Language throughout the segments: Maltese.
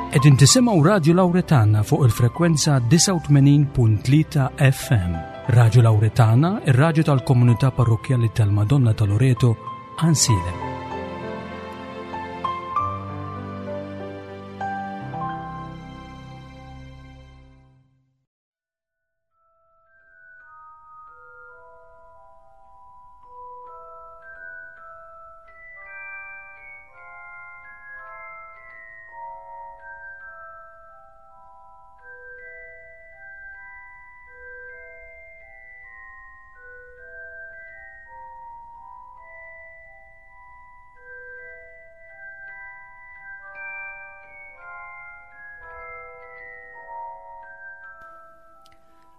Qegħdin tisimgħu Radju Lawretana fuq il-frekwenza 89.3 FM. Radju Lawretana, ir-radju tal-komunità parrokkjali tal-Madonna ta' Loreto, Ansilem.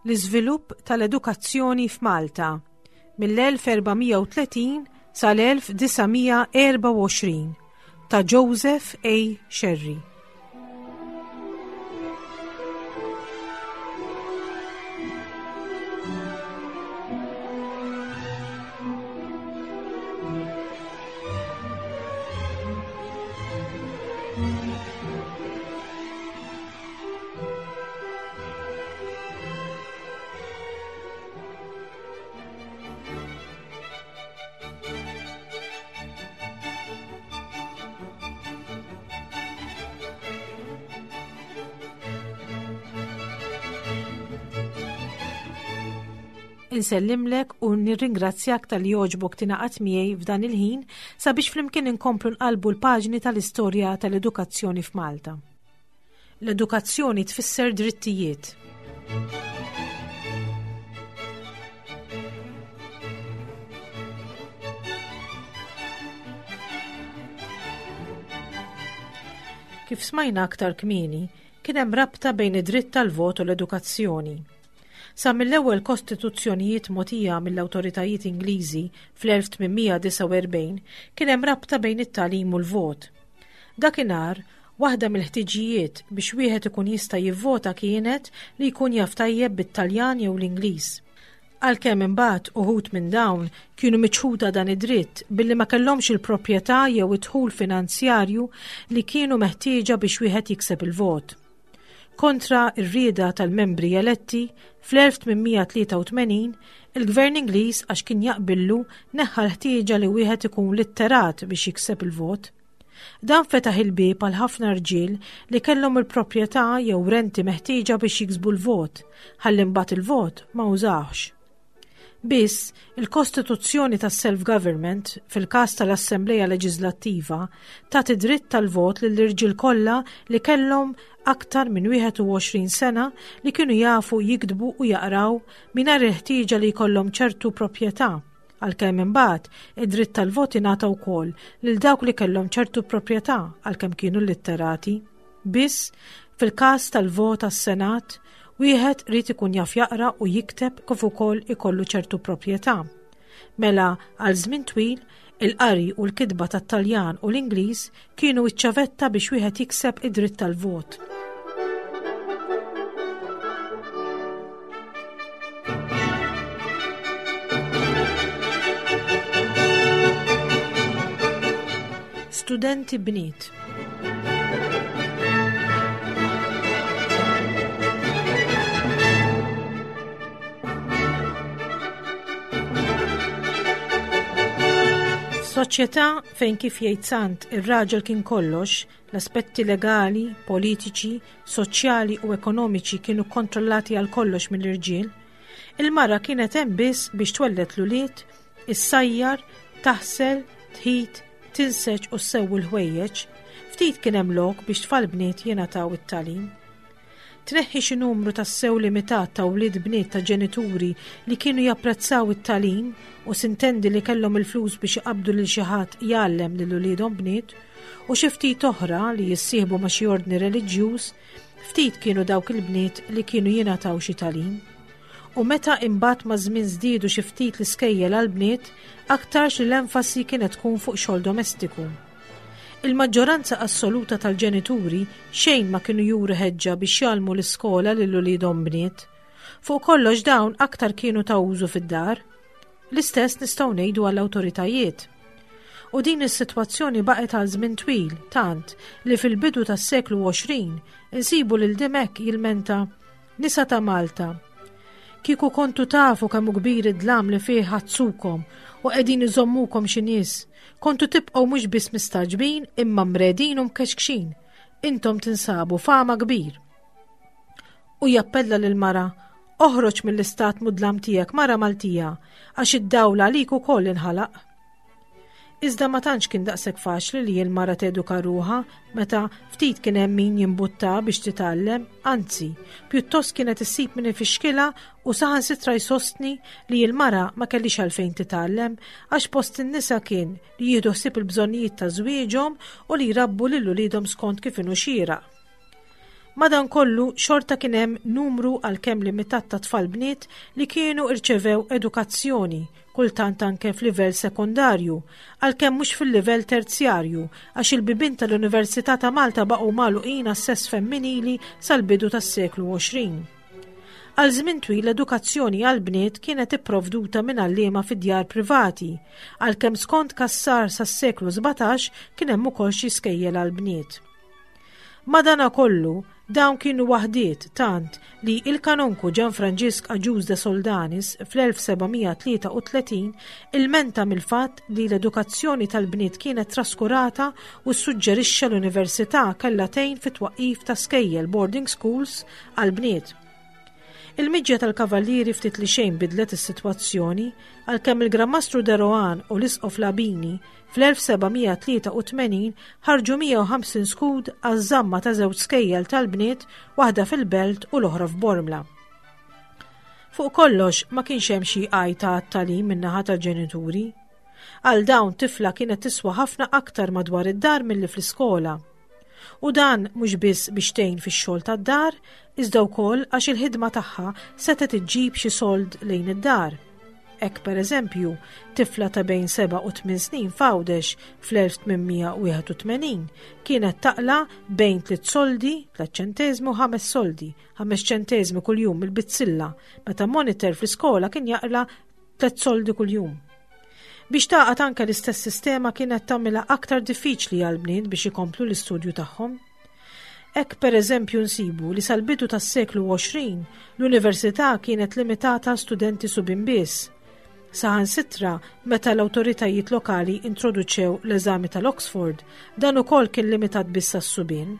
L-iżvilupp tal-edukazzjoni f'Malta mill-1430 sal-1924 ta' Joseph A. Scerri. Insellimlek u nirringrazzjak tal-li jogħġbok tingħaqad miegħi f'dan il-ħin sabiex flimkien inkomplu nqalbu l-paġni tal-istorja tal-edukazzjoni f'Malta. L-edukazzjoni tfisser drittijiet. Kif smajna aktar kmieni, kien hemm rabta bejn id-dritt tal-vot u l-edukazzjoni. Sa mill-ewwel kostituzzjonijiet mogħtija mill-awtoritajiet Ingliżi fl-1849 kien hemm rabta bejn it-tagħlim u l-vot. Dakinhar, waħda mill-ħtiġijiet biex wieħed ikun jista' jivvota kienet li jkun jaf tajjeb bit-Taljan jew l-Ingliż. Għalkemm imbagħad uħud minn dawn kienu miċħuda dan id-dritt billi ma kellhomx il-proprjetà jew id-dħul finanzjarju li kienu meħtieġa biex wieħed jikseb il-vot. Kontra r-rieda tal-membri eletti, fl-1883, il-Gvern Ingliż għax kien jaqbillu neħħa l-ħtieġa li wieħed ikun litterat biex jikseb il-vot. Dan fetaħ il-bieb għal ħafna rġiel li kellhom il-proprjetà jew renti meħtieġa biex jiksbu l-vot, ħalli mbagħad il-vot ma użawhx. Biss, il-Kostituzzjoni tas-Self-Government, fil-każ tal-Assembleja Leġiżlattiva, tagħti dritt tal-vot lill-irġiel kollha li kellhom aktar minn 21 sena li kienu jafu jiktbu u jaqraw mingħajr il-ħtieġa li jkollhom ċertu proprjetà, għalkemm imbagħad id-dritt tal-vot ingħata wkoll lil dawk li kellhom ċertu proprjetà għalkemm kienu litterati. Biss, fil-każ tal-vot għas-Senat, wieħed ried ikun jaf jaqra u jikteb kif ukoll ikollu ċertu proprjetà. Mela, għal żmien twil, il-qari u l-kitba tat-Taljan u l-Ingliż kienu ċ-ċavetta biex wieħed jikseb id-dritt tal-vot. Studenti bniet. F'soċjetà fejn kif jgħid Sant ir-raġel kien kollox, l-aspetti legali, politiċi, soċjali u ekonomiċi kienu kontrollati għal kollox mill-irġiel, il-mara kienet hemm biss biex twelled l-ulied, issajjar, taħsel, tħit, tinseġ u ssewwi l-ħwejjeġ, ftit kien hemm lok biex tfal bniet jingħataw it-tagħlim. Tneħħi xi numru tassew limitat ta' wlied bniet ta' ġenituri li kienu japprezzaw it-tagħlim u sintendi li kellhom il-flus biex iqabbdu lil xi ħadd jgħallem lil uliedhom bniet, u xi ftit oħra li jissieħbu ma' xi ordni reliġjuż, ftit kienu dawk il-bniet li kienu jingħataw xi tagħlim. U meta imbagħad maż-żmien żdiedu xi ftit l-iskejjel għall-bniet, aktarx li l-enfasi kienet tkun fuq xogħol domestiku. Il-maġġoranza assoluta tal-ġenituri xejn ma kienu juru ħeġġa biex jgħallmu l-iskola lil uliedhom bniet. Fuq kollox dawn aktar kienu ta' użu fid-dar. L-istess nistgħu ngħidu għall-awtoritajiet. U din is-sitwazzjoni baqgħet għal żmien twil, tant li fil-bidu tas-seklu 20 insibu lil Dimech jilmenta Nisa ta' Malta, kieku kontu tafu kemm hu kbir id-dlam li fih ħadsukom u qegħdin iżommukom xi nies, kontu tibqgħu mhux biss mistagħġbin imma mredin u mkexkxin. Intom tinsabu fama kbir. U jappella lil mara, oħroġ mill-istat mudlam tiegħek mara Maltija, għax id-dawl għalik ukoll inħalaq. Iżda ma tantx kien daqshekk faċli li l-mara teduka ruħha meta ftit kien hemm min jimbutta biex titgħallem, anzi, pjuttost kienet issib min ifixkilha u saħansitra jsostni li l-mara ma kellix għalfejn titgħallem għax post in-nisa kien li jieħdu ħsieb il-bżonnijiet ta' żwieġhom u li jrabbu lil uliedhom skont kif inhu xieraq. Madankollu, xorta kien hemm numru għalkemm limitat ta' tfal bniet li kienu rċevew edukazzjoni, kultant anke f'livell sekondarju, għalkemm mhux fil-livell terzjarju, għax il-bibien tal-Università ta' Malta baqgħu magħluqin għas-sess femminili sal-bidu tas-seklu 20. Għal żmien twil l-edukazzjoni għall-bniet kienet ipprovduta minn għalliema fi djar privati, għalkemm skont Cassar sas-seklu 17 kien hemm ukoll xi skejjel għall-bniet. Madanakollu, dawn kienu waħdiet tant li il-Kanonku Ġan Franġisk Agius de Soldanis fl-1733 ilmenta mill-fatt li l-edukazzjoni tal-bniet kienet traskurata u ssuġġerixxa l-Università kellha tgħin fit-twaqqif ta' skejjel boarding schools għall-bniet. Il-miġja tal-Kavallieri ftit li xejn bidlet is-sitwazzjoni, għalkemm il-Gran Mastru de Rohan u l-Isqof Labini fl-1783 ħarġu 150 skud għaż-żamma ta' żewġ skejjel tal-bniet, waħda fil-Belt u l-oħra f'Bormla. Fuq kollox ma kienx hemm xi għajta għat-tagħlim min-naħa tal-ġenituri. Għal dawn tifla kienet tiswa ħafna aktar madwar id-dar milli fl-iskola. U dan mhux biss biex tgħin fix-xogħol tad-dar, iżda wkoll għax il-ħidma tagħha setgħet iġġib xi sold lejn id-dar. Hekk pereżempju, tifla ta' bejn 7 u 8 snin f'Għawdex fl-1881 kienet taqla bejn tliet soldi, tliet ċenteżmi u ħames soldi, ħames ċenteżmi kuljum mill-bizzilla, meta monitor fl-iskola kien jaqla tliet soldi kuljum. Biex tagħqad anke l-istess sistema kienet tagħmilha aktar diffiċli għall-bniet biex ikomplu l-istudju tagħhom. Hekk pereżempju nsibu li sal-bidu tas-seklu 20 l-università kienet limitata għal studenti subien biss. Saħansitra meta l-awtoritajiet lokali introduċew l-eżami tal-Oxford, dan ukoll kien limitat biss għas-subien.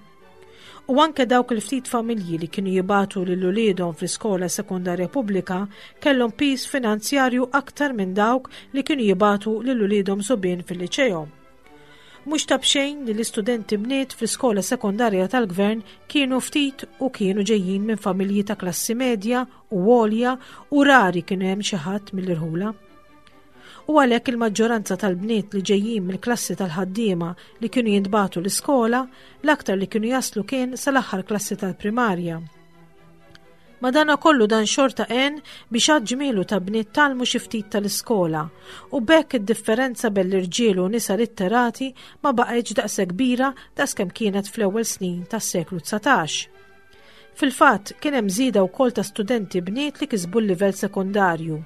U anke dawk il-ftit familji li kienu jibagħtu lil uliedhom fl-iskola sekondarja pubblika kellhom piż finanzjarju aktar minn dawk li kienu jibagħtu lil uliedhom subien fil-liċeo. Mhux ta' b'xejn li l-istudenti bniet fl-iskola sekondarja tal-gvern kienu ftit u kienu ġejjin minn familji ta' klassi medja u għolja u rari kienu hemm xi ħadd mill-irħula. U għalhekk il-maġġoranza tal-bniet li ġejjin mill-klassi tal-ħaddiema li kienu jintbagħtu l-iskola, l-aktar li kienu jaslu kien sal-aħħar klassi tal-primarja. Madana kollu dan xorta għen biex għad ġmielu ta' bniet talmu xi ftit tal-iskola u b'hekk id-differenza bejn l-irġiel u nisa litterati ma baqgħetx daqshekk kbira daqskemm kienet fl-ewwel snin tas-seklu 19. Fil-fatt, kien hemm żieda wkoll ta' studenti bniet li kisbu l-livell sekondarju.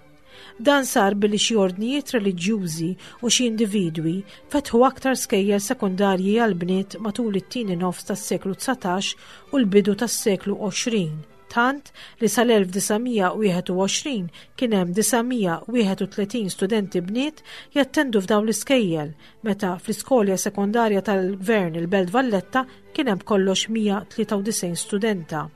Dan sar billi xi ordnijiet reliġjużi u xi individwi fetħu aktar skejjel sekondarji għall-bniet matul it-tieni nofs tas-seklu 19 u l-bidu tas-seklu 20, tant li sal-1921 kien hemm 931 studenti bniet jattendu f'dawn l-iskejjel, meta fl-iskolja sekondarja tal-Gvern il-Belt Valletta kien hemm b'kollox 193 studenta.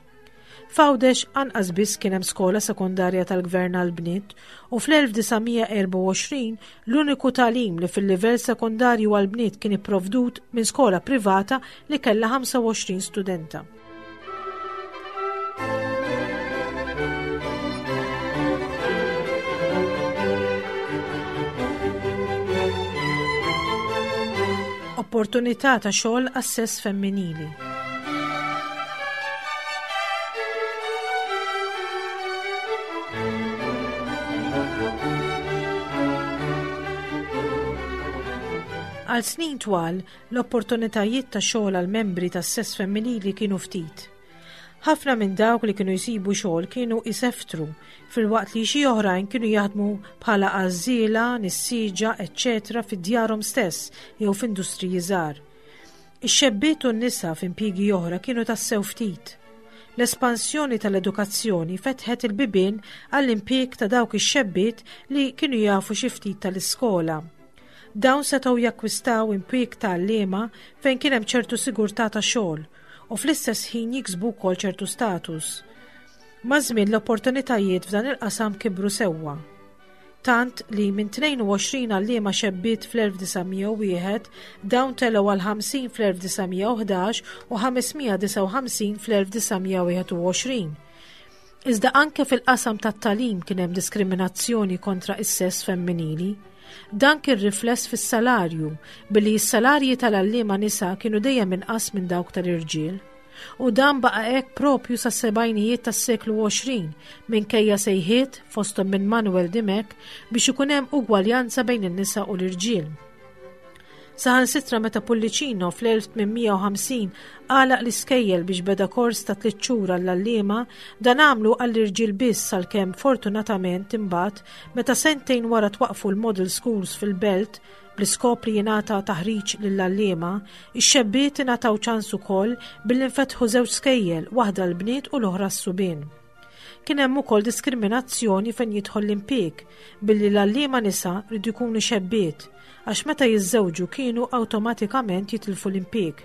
F'Għawdex anqas biss kien hemm skola sekondarja tal-gvern għall-bniet u fl-1924 l-uniku tagħlim li fil-livell sekondarju għall-bniet kien ipprovdut minn skola privata li kellha 25 studenta. Opportunità ta' xogħol għas-sess femminili. Għal snin twal, l-opportunitajiet ta' xogħol għal membri tas-sess femminili kienu ftit. Ħafna minn dawk li kienu jsibu xogħol kienu jseftru, filwaqt li xi oħrajn kienu jaħdmu bħala għażżiela, nissieġa, eċċetera fi djarhom stess jew f'industriji żgħar. Ix-xebbiet u n-nisa f'impjiegi oħra kienu tassew ftit. L-espansjoni tal-edukazzjoni fetħet il-bibien għall-impjieg ta' dawk ix-xebbiet li kienu jafu xi ftit tal-iskola. Dawn setgħu jakkwistaw impjieg ta' għalliema fejn kien hemm ċertu sigurtà ta' xogħol u fl-istess ħin jiksbu wkoll ċertu status. Maż-żmien l-opportunitajiet f'dan il-qasam kibru sewwa. Tant li minn 22 għalliema xebbiet fl-1901 dawn telgħu għal 50 fl-1911 u 559 fl-1921. Iżda anke fil-qasam tat-tagħlim kien hemm diskriminazzjoni kontra is-sess femminili. Dan kien rifless fis-salarju, billi s-salarji tal-għalliema nisa kienu dejjem inqas minn dawk tal-irġiel. U dan baqa' hekk propju sas-sebgħinijiet tas-seklu 20, minkejja sejħiet, fosthom minn Manuel Dimech, biex ikun hemm ugwaljanza bejn in-nisa u l-irġiel. Saħansitra meta Pullicino fl-1850 għalaq l-iskejjel biex beda kors ta' tliet xhur għall-għalliema, dan għamlu għall-irġiel biss għalkemm fortunatament imbagħad meta sentejn wara twaqqfu l-Model Schools fil-Belt bl-iskop li jingħata taħriġ lill-għalliema, ix-xebbiet ingħataw ċans ukoll billi nfetħu żewġ skejjel, waħda l-bniet u l-oħra s-subien. Kien hemm ukoll diskriminazzjoni fejn jidħol l-impieg, billi l-għalliema nisa rridu jkunu xebbiet, għax meta jiżżewġu kienu awtomatikament jitilfu l-impieg.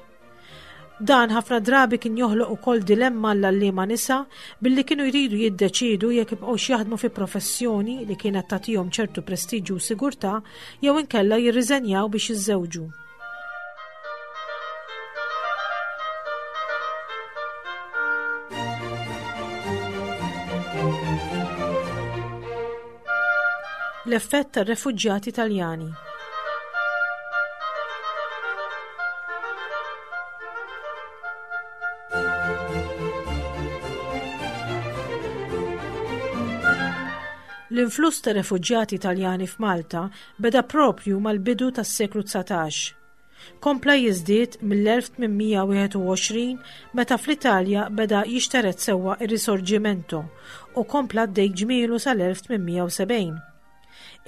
Dan ħafna drabi kien joħloq ukoll dilemma għall-għalliema nisa billi kienu jridu jiddeċiedu jekk jibqgħux jaħdmu fi professjoni li kienet tagħtihom ċertu prestiġju u sigurtà jew inkella jirriżenjaw biex jiżżewġu. L-effett tar-refuġjati Taljani. L-influss ta' refuġjati Taljani f'Malta beda proprju mal-bidu tas-seklu 19. Kompla jiżdied mill-1821 meta fl-Italja beda jixtered sewwa r-Risorgimento u kompla għaddej ġmielu sal-1870.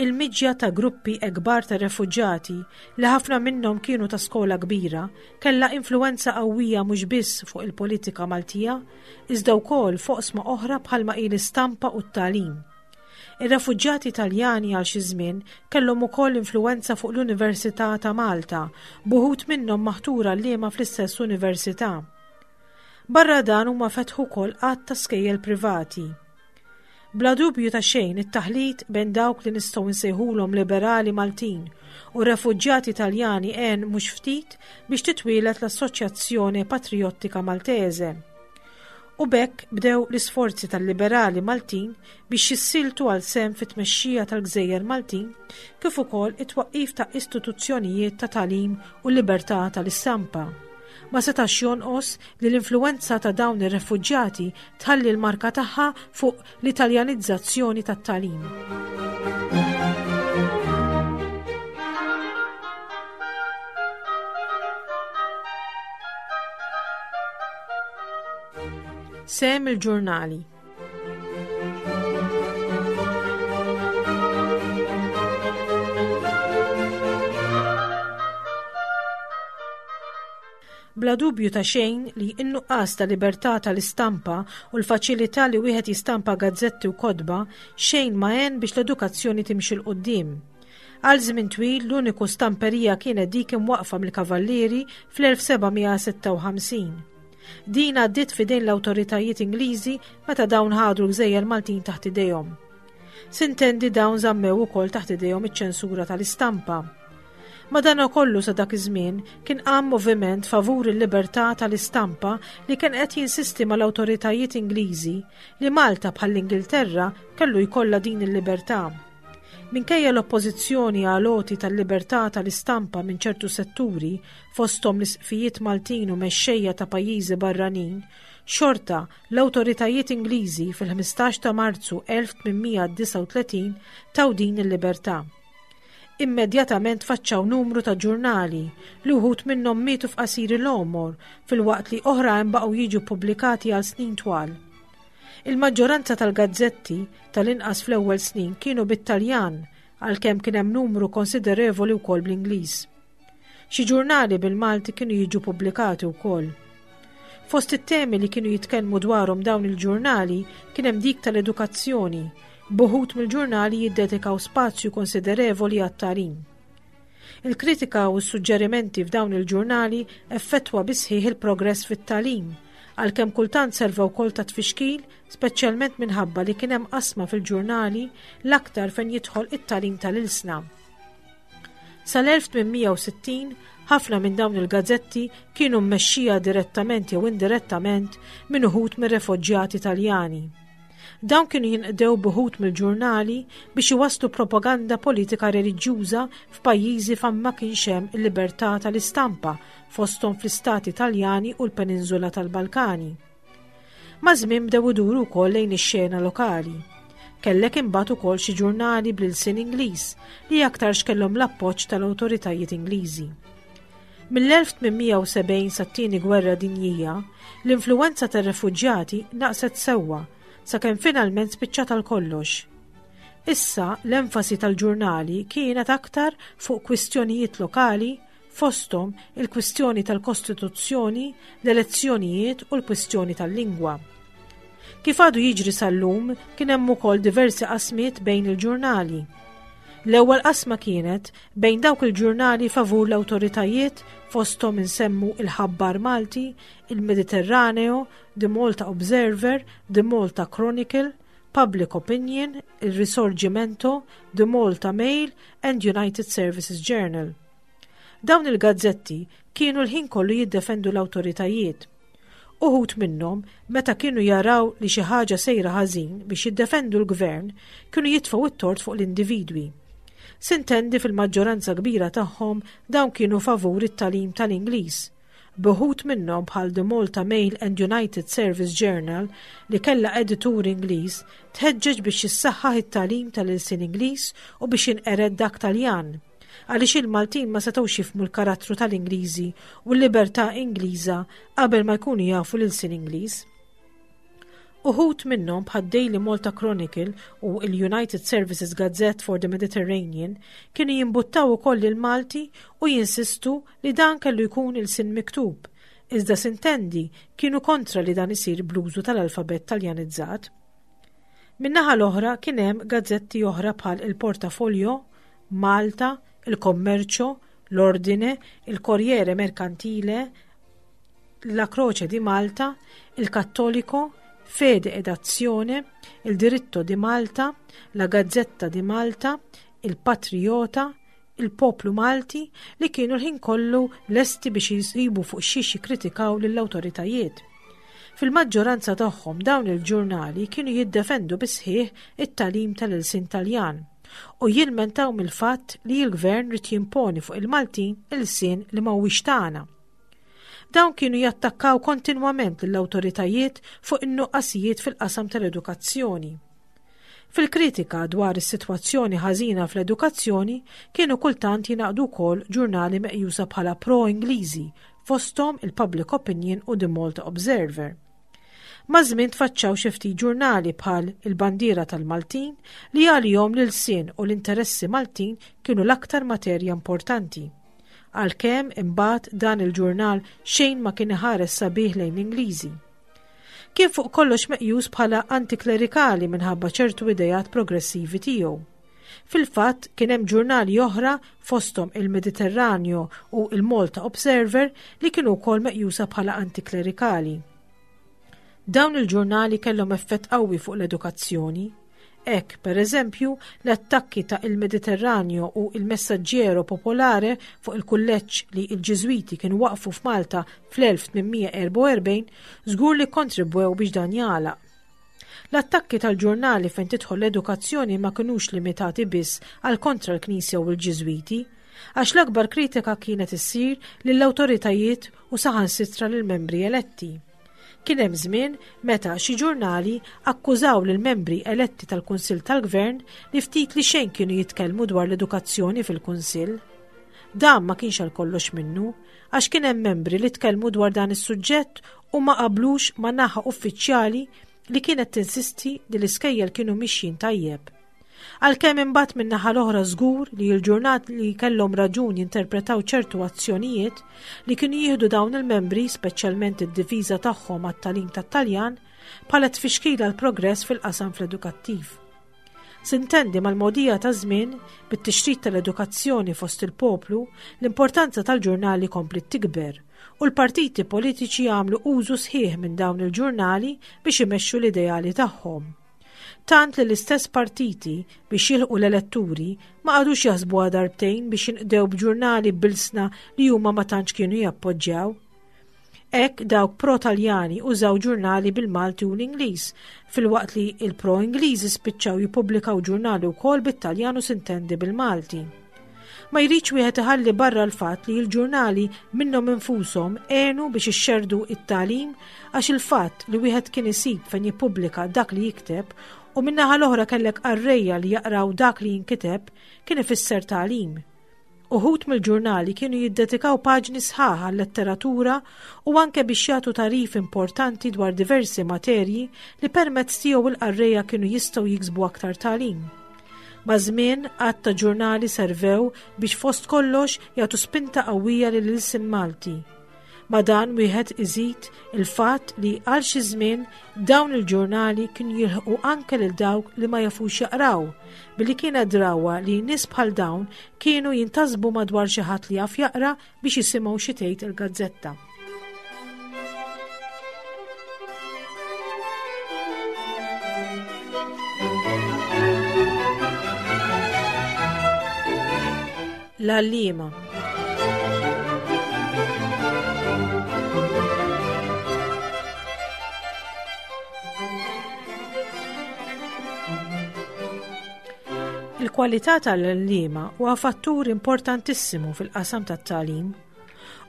Il-miġja ta' gruppi ekbar ta' refuġjati, li ħafna minnhom kienu ta' skola kbira, kellha influwenza qawwija mhux biss fuq il-politika Maltija, iżda wkoll f'oqsma oħra bħalma hi l-istampa u t-tagħlim. Ir-refuġjati Taljani għal xi żmien kellhom ukoll influwenza fuq l-Università ta' Malta, b'uħud minnhom maħtur għalliema fl-istess università. Barra dan huma fetħu wkoll għadd ta' skejjel privati. Bla dubju ta' xejn it-taħlit bejn dawk li nistgħu nsejħulhom liberali Maltin u refuġjati Taljani għen mhux ftit biex titwieled l-Assoċjazzjone Patriottika Maltese. U b'hekk bdew l-isforzi tal-liberali Maltin biex jissieltu għal sehem fit-tmexxija tal-gżejjer Maltin kif ukoll it-twaqqif ta' istituzzjonijiet ta' tagħlim u libertà tal-istampa. Ma setax jonqos li l-influwenza ta' dawn ir-refuġjati tħalli l-marka tagħha fuq l-Italjanizzazzjoni tat-tagħlim. Sehem il-ġurnali. Bla dubju ta' xejn li n-nuqqas ta' libertà tal-istampa u l-faċilità li wieħed jistampa gazzetti u kotba xejn ma għen biex l-edukazzjoni timxi 'l quddiem. Għal żmien twil l-uniku stamperija kienet dik imwaqqfa mill-Kavallieri fl-1756. Din għaddiet f'idejn l-awtoritajiet Ingliżi meta dawn ħadu l-gżejjer Maltin taħt idejhom. Sintendi dawn żammew ukoll taħt idejhom iċ-ċensura tal-istampa. Madanakollu sa dak iż-żmien kien qam moviment favur il-libertà tal-istampa li kien qed jinsisti mal-awtoritajiet Ingliżi li Malta bħall-Ingilterra kellu jkollha din il-libertà. Minkejja l-oppożizzjoni għal għoti tal-libertà tal-istampa minn ċertu setturi, fosthom l-isqfijiet Maltin u mexxejja ta' pajjiżi barranin, xorta l-awtoritajiet Ingliżi fil-15 ta' Marzu 1839 taw din il-libertà. Immedjatament tfaċċaw numru ta' ġurnali li wħud minnhom mietu f'qasir il-għomor filwaqt li oħrajn baqgħu jiġu ppubblikati għal snin twal. Il-maġġoranza tal-gazzetti, tal-inqas fl-ewwel snin, kienu bit-Taljan għalkemm kien hemm numru konsiderevoli wkoll bl-Ingliż. Xi ġurnali bil-Malti kienu jiġu pubblikati wkoll. Fost it-temi li kienu jitkellmu dwarhom dawn il-ġurnali kien hemm dik tal-edukazzjoni, b'uħud mill-ġurnali jiddedikaw spazju konsiderevoli għat-tagħlim. Il-kritika u s-suġġerimenti f'dawn il-ġurnali effettwa bisħiħ il-progress fit-tagħlim, għalkemm kultant serva wkoll ta' tfixkil, speċjalment minħabba li kien hemm qasma fil-ġurnali l-aktar fejn jidħol it-tagħlim tal-ilsna. Sal-1860, ħafna minn dawn il-gazzetti kienu mmexxija direttament jew indirettament minn uħud mir-refuġjati Taljani. Dawn kienu jinqdew b'uħud mill-ġurnali biex iwasslu propaganda politika reliġjuża f'pajjiżi fejn ma kienx hemm il-libertà tal-istampa fosthom fl-istati Taljani u l-Peninżula tal-Balkani. Maż-żmien bdew iduru wkoll lejn ix-xena lokali. Kellek imbagħad ukoll xi ġurnali bl-ilsien Ingliż li aktarx kellhom l-appoġġ tal-awtoritajiet Ingliżi. Mill-1870 sat-Tieni Gwerra Dinjija, l-influwenza tar-refuġjati naqset sewwa sakemm finalment spiċċat għal kollox. Issa l-enfasi tal-ġurnali kienet aktar fuq kwistjonijiet lokali fosthom il-kwistjoni tal-Kostituzzjoni, l-elezzjonijiet u l-kwistjoni tal-lingwa. Kif għadu jiġri sal-lum, kien hemm ukoll diversi qasmiet bejn il-ġurnali. L-ewwel qasma kienet bejn dawk il-ġurnali favur l-awtoritajiet fosthom insemmu il-Ħabbar Malti, il-Mediterraneo, The Malta Observer, The Malta Chronicle, Public Opinion, il-Risorgimento, The Malta Mail and United Services Journal. Dawn il-gazzetti kienu l-ħin kollu jiddefendu l-awtoritajiet. Uħud minnhom, meta kienu jaraw li xi ħaġa sejra ħażin biex jiddefendu l-gvern, kienu jitfgħu t-tort fuq l-individwi. Sintendi fil-maġġoranza kbira tagħhom dawn kienu favur it-tagħlim tal-Ingliż. B'uħud minnhom bħal The Malta Mail and United Service Journal li kellha editur Ingliż tħeġġeġ biex jissaħħaħ it-tagħlim tal-ilsien Ingliż u biex jinqered dak Taljan. Għaliex il-Maltin ma setgħux jifhmu l-karattru tal-Ingliżi u l-libertà Ingliża qabel ma jkunu jafu l-ilsien Ingliż. Uħud minnhom bħad-Daily Malta Chronicle u l-United Services Gazette for the Mediterranean kienu jimbuttaw ukoll il-Malti u jinsistu li dan kellu jkun ilsien miktub, iżda sintendi kienu kontra li dan isir bl-użu tal-alfabett Taljanizzat. Min-naħa l-oħra kien hemm gazzetti oħra bħal il-Portafolio, Malta, il Commercio, l-Ordine, il Corriere Mercantile, La Croce di Malta, il Cattolico, Fede ed Azione, il Diritto di Malta, la Gazzetta di Malta, il Patriota, il-Poplu Malti li kienu l-ħin kollu lesti biex jisibu fuq xiex jikkritikaw lill-awtoritajiet. Fil-maġġoranza tagħhom dawn il-ġurnali kienu jiddefendu bis-sħiħ it-tagħlim tal-ilsien Taljan u jilmentaw mill-fatt li l-gvern ried jimponi fuq il-Maltin ilsien li ma huwiex tagħna. Dawn kienu jattakkaw kontinwament lill-awtoritajiet fuq in-nuqqasijiet fil-qasam tal-edukazzjoni. Fil-kritika dwar is-sitwazzjoni ħażina fl-edukazzjoni kienu kultant jingħaqdu wkoll ġurnali meqjusa bħala pro-Ingliżi fosthom il-Public Opinion u The Malta Observer. Maż-żmien tfaċċaw xi ftit ġurnali bħal Il-Bandiera tal-Maltin li għalihom l-ilsien u l-interessi Maltin kienu l-aktar materja importanti. Għalkemm imbagħad dan il-ġurnal xejn ma kien iħares sabiħ lejn l-Ingliżi. Kien fuq kollox meqjus bħala antiklerikali minħabba ċertu ideat progressivi tiegħu. Fil-fatt kien hemm ġurnali oħra fosthom il-Mediterraneo u il-Malta Observer li kienu wkoll meqjusa bħala antiklerikali. Dawn il-ġurnali kellhom effett qawwi fuq l-edukazzjoni. Hekk, per eżempju, l-attakki ta' Il Mediterraneo u Il Messaggero Popolare fuq il-kulleġġ li l-Ġiżwiti kienu waqqfu f'Malta fl-1844 żgur li kkontribwew biex dan jagħlaq. L-attakki tal-ġurnali fejn tidħol l-edukazzjoni ma kinux limitati biss għal kontra l-Knisja u l-Ġiżwiti, għax l-akbar kritika kienet issir lill-awtoritajiet u saħansitra lill-membri eletti. Kien hemm żmien meta xi ġurnali akkużaw lill-membri eletti tal-Kunsill tal-Gvern li ftit li xejn kienu jitkellmu dwar l-edukazzjoni fil-Kunsill. Dan ma kienx għal kollox minnu, għax kien hemm membri li tkellmu dwar dan is-suġġett u ma qablux ma' naħa uffiċjali li kienet tinsisti li l-iskejjel kienu mixjin tajjeb. Għalkemm imbagħad min-naħa l-oħra żgur li l-ġurnat li kellhom raġun jinterpretaw ċertu azzjonijiet li kienu jieħdu dawn il-membri, speċjalment id-difiża tagħhom għat-tagħlim tat-Taljan, bħala tfixkil għall-progress fil-qasam fl-edukattiv. Sintendi mal-mogħdija taż-żmien, bit-tixrid tal-edukazzjoni fost il-poplu, l-importanza tal-ġurnali kompliet tikber u l-partiti politiċi għamlu użu sħiħ minn dawn il-ġurnali biex imexxu l-ideali tagħhom. Tant li l-istess partiti biex jilħqu l-eletturi ma qagħdux jaħsbuha darbtejn biex jinqdew b'ġurnali b'ilsna li huma ma tantx kienu jappoġġjaw. Hekk dawk pro-Taljani użaw ġurnali bil-Malti u l-Ingliż, filwaqt li il-pro-Ingliżi spiċċaw jippubblikaw ġurnali wkoll bit-Taljan u sintendi bil-Malti. Ma jridx wieħed iħalli barra l-fatt li l-ġurnali minnhom infushom għenu biex ixxerrdu it-tagħlim għax il-fatt li wieħed kien isib fejn jippubblika dak li jikteb u min-naħa l-oħra kellek qarrejja li jaqraw dak li jinkiteb kien ifisser tagħlim. Uħud mill-ġurnali kienu jiddedikaw paġni sħaħ għal-letteratura u anke biex jagħtu tagħrif importanti dwar diversi materji li permezz tiegħu l-qarrejja kienu jistgħu jiksbu aktar tagħlim. Maż-żmien, għadd ta' ġurnali servew biex fost kollox jagħtu spinta qawwija lill-ilsien Malti. Ma' dan wieħed iżid il-fatt li għal xi żmien dawn il-ġurnali kienu jilħqu anke lil dawk li ma jafux jaqraw, billi kienet drawwa li nies bħal dawn kienu jintasbu madwar xi ħadd li jaf jaqra biex jisimgħu xi tgħid il-gazzetta. L-għalliema. Il-kwalità tal-għalliema huwa fattur importantissimu fil-qasam tat-tagħlim.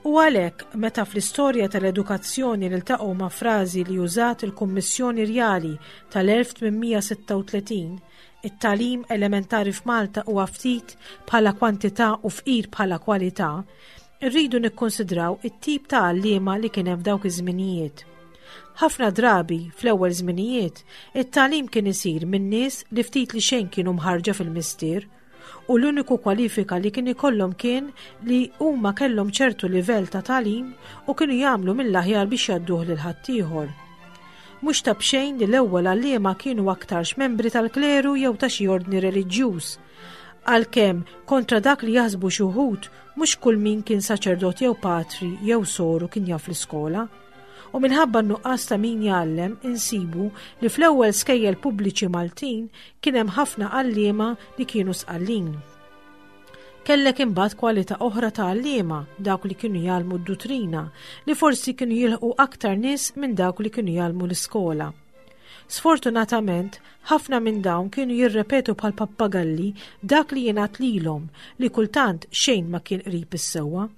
U għalhekk meta fl-istorja tal-edukazzjoni niltaqgħu ma' frażi li użat il-Kummissjoni Rjali tal-1836 It-tagħlim elementari f'Malta huwa ftit bħala kwantità u fqir bħala kwalità, irridu nikkonsidraw it-tip ta' għalliema li kien hemm f'dawk iż-żminijiet. Ħafna drabi, fl-ewwel żminijiet, it-tagħlim kien isir minn nies li ftit li xejn kienu mħarrġa fil-mistier u l-uniku kwalifika li kien ikollhom kien li huma kellhom ċertu livell ta' tagħlim u kienu jagħmlu mill-aħjar biex jgħadduh lil ħaddieħor. Mhux ta' b'xejn li l-ewwel għalliema kienu aktarx membri tal-kleru jew ta' xi ordni reliġjuż. Għalkemm, kontra dak li jaħsbu xi wħud, mhux kull min kien saċerdot jew patri jew soru kien jaf l-iskola. U minħabba n-nuqqas ta' min jgħallem insibu li fl-ewwel skejjel pubbliċi Maltin kien hemm ħafna għalliema li kienu Sqallin. Kellek imbagħad kwalità oħra ta' għalliema, dawk li kienu jgħallmu d-dutrina, li forsi kienu jilħqu aktar nies minn dawk li kienu jgħallmu l-iskola. Sfortunatament, ħafna minn dawn kienu jirrepetu bħal pappagalli dak li jingħad lilhom li kultant xejn ma kien qrib is-sewwa.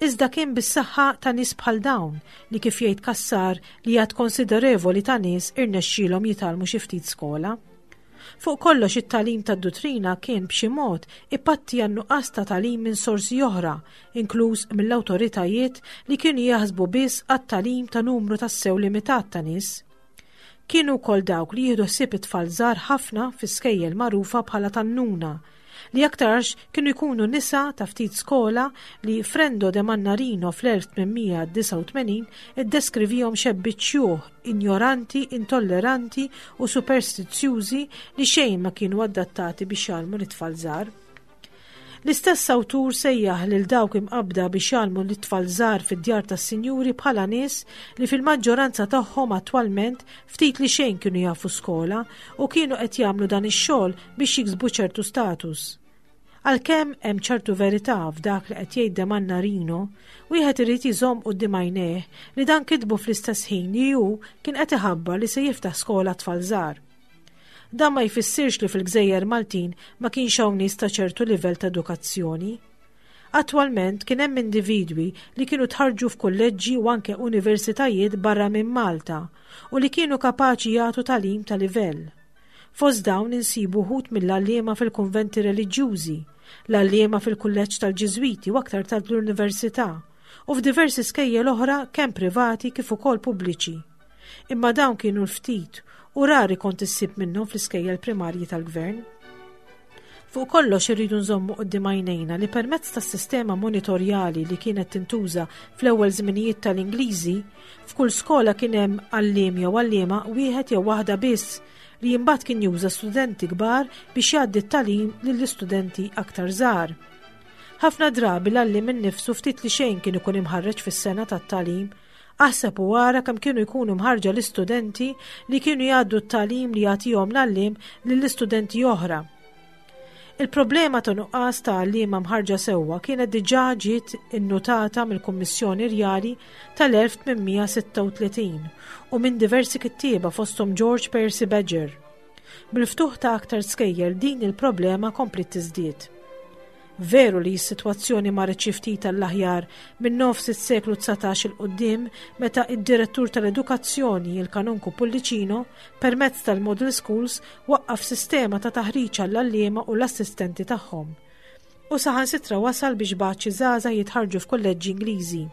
Iżda kien bis-saħħa ta' nies bħal dawn li kif jgħid Cassar li għadd konsiderevoli ta' nies irnexxielhom jitgħallmu xi ftit skola. Fuq kollox it-tagħlim tad-duttrina kien b'xi mod ipatti għan-nuqqas ta' tagħlim minn sorsi oħra, inkluż mill-awtoritajiet li kienu jaħsbu biss għat-tagħlim ta' numru tassew limitat ta' nies. Kienu wkoll dawk li jieħdu ħsieb it-tfal żgħar ħafna fi skejjel magħrufa bħala tan-nuna, li aktarx kienu jkunu nisa ta' ftit skola li Frendo de Mannarino fl-1889 iddeskrivihom xebbiet xjuħ, injoranti, intolleranti u superstizzjużi li xejn ma kienu adattati biex jgħallmu lit-tfal żgħar. L-istess awtur sejjaħ lil dawk imqabbda biex jgħallmu lit-tfal żgħar fid-djar tas-sinjuri bħala nies li fil-maġġoranza tagħhom attwalment ftit li xejn kienu jafu skola u kienu qed jagħmlu dan ix-xogħol biex jiksbu ċertu status. Għalkemm hemm ċertu verità f'dak li qed jgħid De Mannarino, wieħed irid iżomm quddiem għajnejh li dan kitbu fl-istess ħin li hu kien qed iħabbar li se jiftaħ skola tfal żgħar. Dan ma jfissirx li fil-gżejjer Maltin ma kienx hawn nies ta' ċertu livell ta' edukazzjoni. Attwalment kien hemm individwi li kienu tħarrġu f'kulleġġi u anke universitajiet barra minn Malta u li kienu kapaċi jagħtu tagħlim ta' livell. Fost dawn insibu wħud mill-għalliema fil-kunventi reliġjużi, l-għalliema fil-kulleġġ tal-Ġiżwiti u aktar tard l-Università, u f'diversi skejjel oħra kemm privati kif ukoll pubbliċi. Imma dawn kienu l-ftit u rari kont issib minnhom fl-iskejjel primarji tal-gvern. Fuq kollox irridu nżommu quddiem għajnejna li permezz tas-sistema monitorjali li kienet tintuża fl-ewwel żminijiet tal-Ingliżi, f'kull skola kien hemm għalliem jew għalliema wieħed jew waħda biss li imbagħad kien juża studenti kbar biex jgħaddi t-tagħlim lill-istudenti aktar żgħar. Ħafna drabi l-għalliem innifsu ftit li xejn kien ikun imħarreġ fis-sena tat-tagħlim Aħseb u ara kemm kienu jkunu mħarrġa l-istudenti li kienu jgħaddu t-tagħlim li jagħtihom l-għalliem lill-istudenti oħra. Il-problema ta' nuqqas ta' għalliema mħarġa sewwa kienet diġà ġiet innutata mill-Kummissjoni Rjali tal-1836 u minn diversi kittieba fosthom George Percy Badger. Bil-ftuħ ta' aktar skejjel din il-problema kompliet tiżdied. Veru li s-sitwazzjoni marret xi ftit għall-aħjar minn nofs is-seklu 19 'il quddiem meta id-Direttur tal-Edukazzjoni, il-Kanonku Pullicino, permezz tal-Model Schools waqqaf sistema ta' taħriġ għall-għalliema u l-assistenti tagħhom. U saħansitra wasal biex bagħat xi żgħażagħ jitħarrġu f'kulleġġi Ingliżi.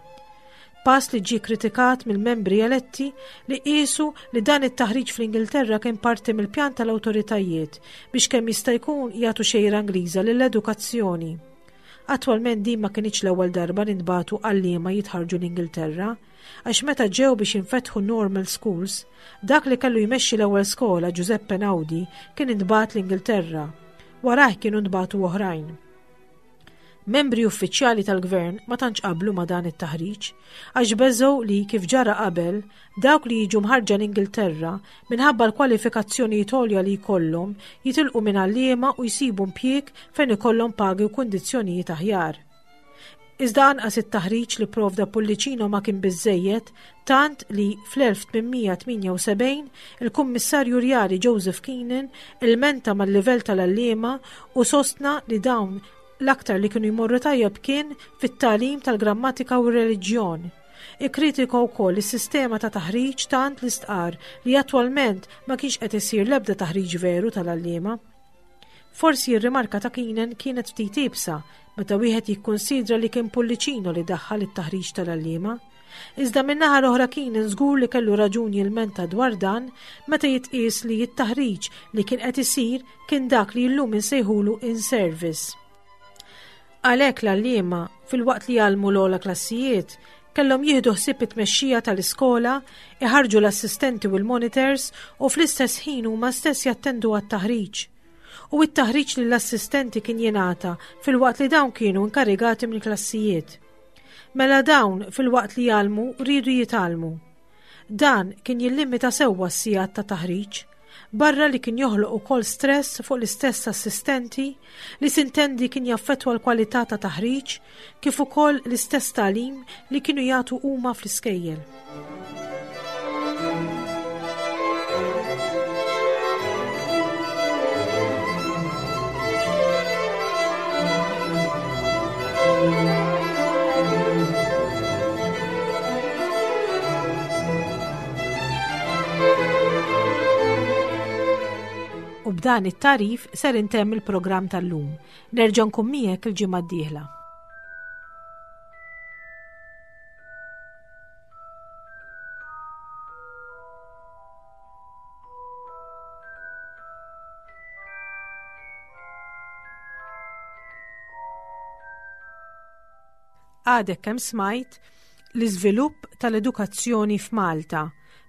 Pass li ġie kritikat mill-membri eletti li qiesu li dan it-taħriġ fl-Ingilterra kien parti mill-pjan tal-awtoritajiet biex kemm jista' jkun jagħtu xejra Ingliża lill-edukazzjoni. Attwalment din ma kinitx l-ewwel darba li ntbagħtu għalliema jitħarrġu l-Ingilterra, għax meta ġew biex jinfetħu normal schools, dak li kellu jmexxi l-ewwel skola Giuseppe Naudi kien intbagħat l-Ingilterra. Warajh kienu ntbagħtu oħrajn. Membri uffiċjali tal-gvern ma tantx qablu ma' dan it-taħriġ, għax beżgħu li, kif ġara qabel, dawk li jiġu mħarrġa l-Ingilterra, minħabba l-kwalifikazzjonijiet għolja li jkollhom, jitilqu minn għalliema u jsibu mpjieg fejn ikollhom pagi u kundizzjonijiet aħjar. Iżda anqas it-taħriġ li pprovda Pullicino ma kien biżżejjed tant li fl-1878 il-Kummissarju Rjali Joseph Keenan ilmenta mal-livell tal-għalliema u sostna li dawn l-aktar li kienu jmorru tajjeb kien fit-tagħlim tal-grammatika u r-reliġjon. Ikkritika wkoll is-sistema ta' taħriġ tant li stqarr li attwalment ma kienx qed isir l-ebda taħriġ veru tal-għalliema. Forsi r-rimarka ta' Keenan kienet ftit iebsa meta wieħed jikkunsidra li kien Pullicino li daħħal it-taħriġ tal-għalliema. Iżda min-naħa l-oħra Keenan żgur li kellu raġun jilmenta dwar dan meta jitqies li t-taħriġ li kien qed isir kien dak li llum insejħulu in-service. Għalhekk l-għalliema, filwaqt li jgħallmu l-ogħla klassijiet, kellhom jieħdu ħsieb it-tmexxija tal-iskola, iħarrġu l-assistenti u l-monitors u fl-istess ħin huma stess jattendu għat-taħriġ. U t-taħriġ lill-assistenti kien jingħata filwaqt li dawn kienu inkarigati mill-klassijiet. Mela dawn, filwaqt li jgħallmu, riedu jitgħallmu. Dan kien jillimita sewwa s-sigħat ta' taħriġ, barra li kien joħloq ukoll stress fuq l-istess assistenti li sintendi kien jaffettwa l-kwalità ta' taħriġ kif ukoll l-istess tagħlim li kienu jagħtu huma fl-iskejjel. U b'dan it-tarif ser intemm il-programm tal-lum. Nerġa' nkun miegħek il-ġimgħa d-dieħla. Għadek kemm smajt l-iżvilupp tal-edukazzjoni f'Malta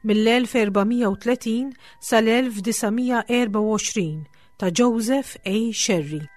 mill-1430 sal-1924 ta' Joseph A. Scerri.